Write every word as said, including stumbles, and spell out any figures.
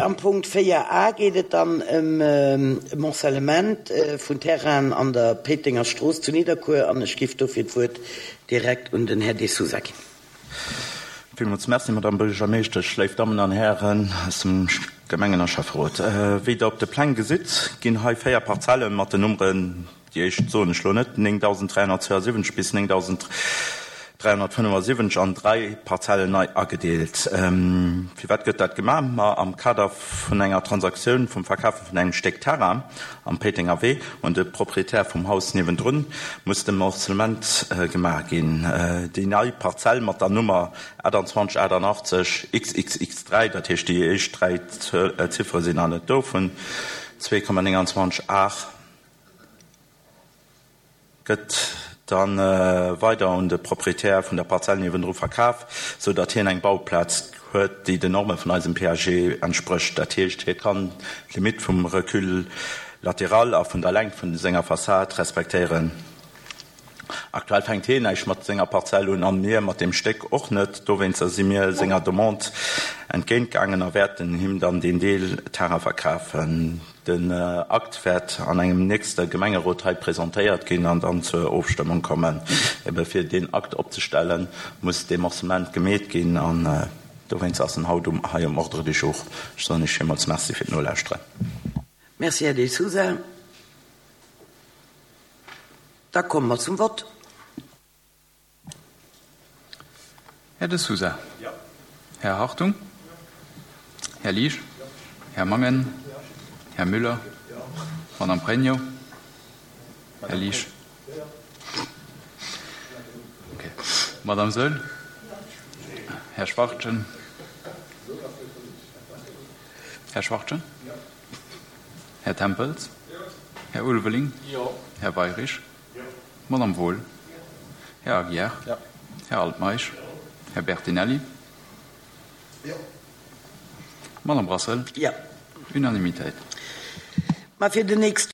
am Punkt véier a geet et dann ëm e Morcellement vun Terrainen an der Péitenger Strooss zu Nidderkuer an ech géif dofir d'Wuert direkt un den Här De Sousa ginn. Villmools Merci, Madame Buergermeeschtesch, léif Dammen an Hären aus dem Gemengen a Schäfferot. Wéi Der op de Pläng gesitt, ginn hei véier Parzelle mat den Nummeren, déi éischt soen ech lo net, néngdausend dräihonnertzweiasiwwenzeg bis néngdausend dräihonnertfënnefasiwwenzeg an dräi Parzellen nei agedeelt. Firwat gëtt dat gemaach? Ma am Kader vun enger Transaktioun vum Verkafe vun engem Stéck Terrain am Péitenger Wee un de Proprietär vum Haus niewendrun muss de Morcellement gemaach ginn. Déi nei Parzell mat der Nummer achtundzwanzeg aachtundachtzeg X X X dräi, dat heescht déi éischt dräi Ziffere sinn nach net do, vun zwee Komma nénganzwanzeg Ar gëtt dann weider un de Proprietär vun der Parzell niewendru verkaf, sou datt hien eng Bauplaz huet, déi den Norme vun eisem P A G entsprécht. Dat heescht, hie kann d'Limitt vum Recul latéral a vun der Längt vun senger Fassad respektéieren. Aktuell fänkt hien näischt mat senger Parzell un an mir mat deem Stéck och net. Dowéinster si mir senger Demande entgéintgaangen a wäerten him dann deen Deel Terrain verkafen. Den Akt wäert an engem nächste Gemengerot hei presentéiert ginn an dann zur Ofstëmmung kommen. Ebe fir deen Akt opzestellen, muss dee Morcellement gemeet ginn an dowéinst ass en haut um hei um Ordre du jour. Ech soen Iech villmools Merci fir d'Nolauschteren. Merci, Här De Sousa. Da komme mer zum Vott. Här De Sousa. Här Hartung. Här Liesch. Här Mangen. Här Müller. Madame Pregno. Här Liesch. Okay. Madame Saeul. Här Schwachtgen. Här Schwachtgen. Här Tempels. Här Ulveling. Här Weirich. Madame Wohl. Här Aguiar. Här Altmeisch. Här Bertinelli. Madame Brassel. Jo. Unanimitéit. Ma fir den nächste